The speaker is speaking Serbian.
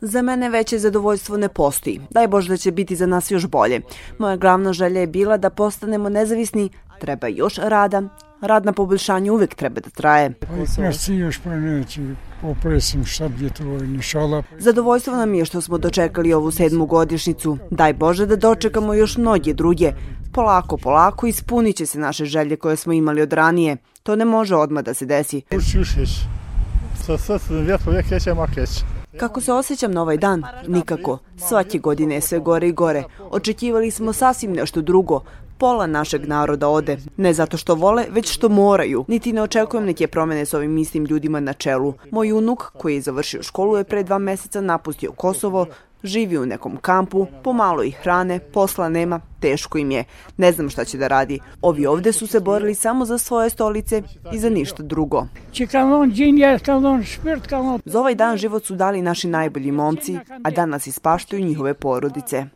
Za mene veće zadovoljstvo ne postoji. Daj Bože da će biti za nas još bolje. Moja glavna želja je bila da postanemo nezavisni. Treba još rada. Rad na poboljšanju uvek treba da traje. Zadovoljstvo nam je što smo dočekali ovu 7. godišnjicu. Daj Bože da dočekamo još mnoge druge. Polako, polako ispunit će se naše želje koje smo imali od ranije. To ne može odmah da se desi. Kako se osjećam na ovaj dan? Nikako. Svake godine je sve gore i gore. Očekivali smo sasvim nešto drugo. Pola našeg naroda ode. Ne zato što vole, već što moraju. Niti ne očekujem neke promene s ovim istim ljudima na čelu. Moj unuk, koji je završio školu, je pre 2 meseca napustio Kosovo, živi u nekom kampu, pomalo ih hrane, posla nema, teško im je. Ne znam šta će da radi. Ovi ovde su se borili samo za svoje stolice i za ništa drugo. Za ovaj dan život su dali naši najbolji momci, a danas ispaštaju njihove porodice.